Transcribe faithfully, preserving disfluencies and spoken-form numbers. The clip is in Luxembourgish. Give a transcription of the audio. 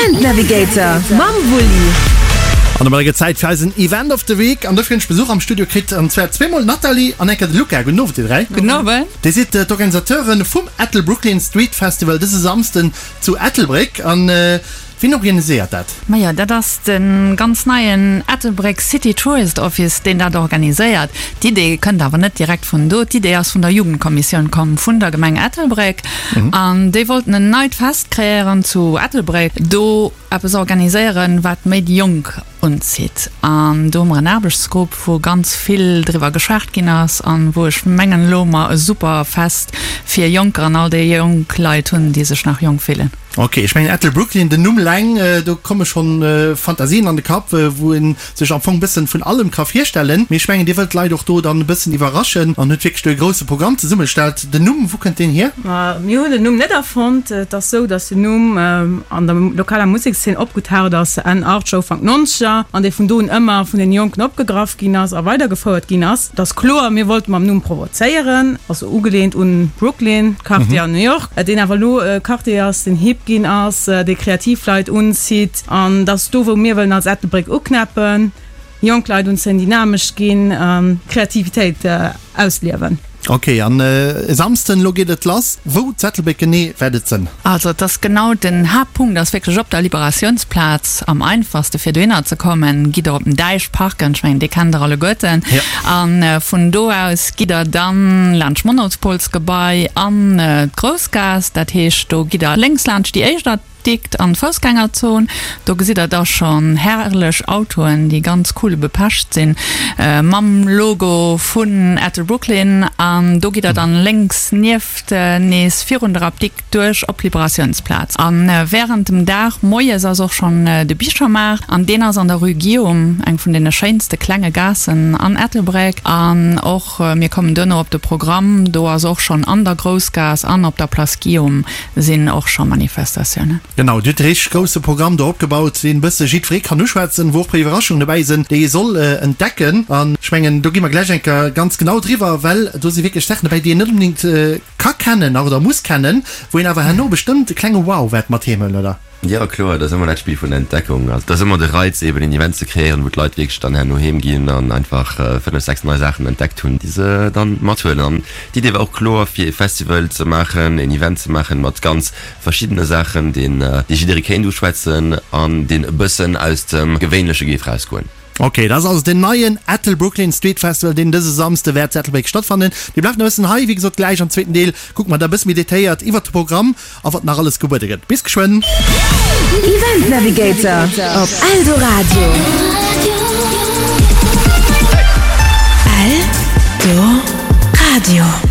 Event Navigator mam Wulli. An domadder gëtt Zäit fir eisen Event of the Week. An dofir hunn ech Besuch am Studio kritt, an zwar zweemol d'Nathalie an eng Kéier de Luca. Gudden Owend, dir dräi. Gudden Owend. Dir sidd d'Organisateuren vum Ettelbrooklyn Street Festival dëse Samsden zu Ettelbréck. An wien organiséiert dat? Majo, dat ass de ganz neien Ettelbréck City Tourist Office, deen dat organiséiert. D'Idee kënnt awer net direkt vun do. D'Idee ass vun der Jugendkommissioun komm vun der Gemeng Ettelbréck. An déi wollten en neit Fest kreéieren zu Ettelbréck, do eppes organiséieren, wat méi déi Jonk unzitt. An do hu mer en Aarbechtsgrupp, wou ganz vill driwwer geschwat ginn ass an wou ech mengen elo mer e super Fest fir Jonker an all déi jonk Leit hunn, déi sech nach jonk fillen. Ok, ech mengen Ettelbrooklyn, den Numm leng, do komme schonn Fantasien an de Kapp, wou ee sech am Fong e bëssen vun allem ka virstellen. Mee ech mengen, Dir wëllt d'Leit och do dann e bëssen iwwerraschen an hutt wierklech do e grousse Programm zesummegestallt. Den Numm, wou kënnt deen hier? Ma mir hunn den Numm net erfonnt. Et ass esou, datt den Numm an der lokaler Musekszeen opgetaucht ass Enn Achtzeger, Ufank Nonzeger an dee vun do un ëmmer vun den Jonken opgegraff ginn ass a weidergefouert ginn ass. Et ass kloer, mir wollte mam Numm provozéieren, also ugeleent un Brooklyn, Quartier an New York, deen awer elo e Quartier ass, deen hip ginn ass, dee kreativ Leit unzitt an dat ass do, wou mir wëllen als Ettelbréck uknäppen, jonk Leit unzéien, dynamesch ginn, Kreativitéit ausliewen. Ok, an e Samsden, elo geet et lass. Wou zu Ettelbréck genee wäert et sënn? Also et ass genau, den Haaptpunkt ass wierklech op der Liberatiounsplaz. Am einfachste fir dohinner ze kommen, gitt der op den Däich parken, ech mengen dee kennt der alleguerten. A vun do aus gitt der dann laanscht d'Monopolsgebai an d'Groussgaass. Dat heescht do gitt der lénks laanscht déi éischt Dikt an d'Foussgängerzon. Do gesitt der da schonn herrlech Autoen, déi ganz cool bepecht sinn, mam Logo vun Ettelbrooklyn. An do gitt der dann lénks nieft nees virun der Apdikt duerch op d'Liberatiounsplaz. A wärend dem Dag moies ass och schonn de Bichermaart an deen ass an der Rue Guillaume, eng vun deene schéinste klenge Gaassen an Ettelbréck. An och mir kommen duerno op de Programm, do ass och schonn an der Groussgaass an op der Place Guillaume sinn och scho Manifestatiounen. Genau, Dir hutt e richteg grousse Programm do opgebaut, deen e bësse jiddweree kann uschwätzen, wou och e puer Iwwerraschungen dobäi sinn, déi ee soll entdecken. An ech mengen, do gi mer gläich eng Kéier ganz genau driwwer, well do si wierklech Saachen dobäi, déi een net onbedéngt ka kennen nach oder muss kennen, wou een awer herno bestëmmt e klenge Wow wäert mat heem huelen, oder? Jo, kloer, dat ass ëmmer dat Spill vun der Entdeckung. Also, et ass ëmmer de Reiz, eben een Event ze kreéieren, wou d'Leit wierklech dann herno heem ginn an einfach fënnef, sechs nei Saachen entdeckt hunn, déi se dann mathuelen. An d'Idee war och kloer, fir e Festival ze maachen, een Event ze maachen mat ganz verschiddene Saachen, deen dee jidderee kéint uschwätzen an deen e bëssen aus dem Gewéinleche géif rausgoen. Ok, dat ass also den neien Ettelbrooklyn Street Festival, deen dëse Samsde wäert zu Ettelbréck stattfannen. Mir bleiwen e bëssen hei, wéi gesot, gläich am zweeten Deel kucke mer da e bësse méi detailléiert iwwert de Programm a wat nach alles gebuede gëtt. Bis geschwënn! Event Navigator op Eldoradio. Eldoradio.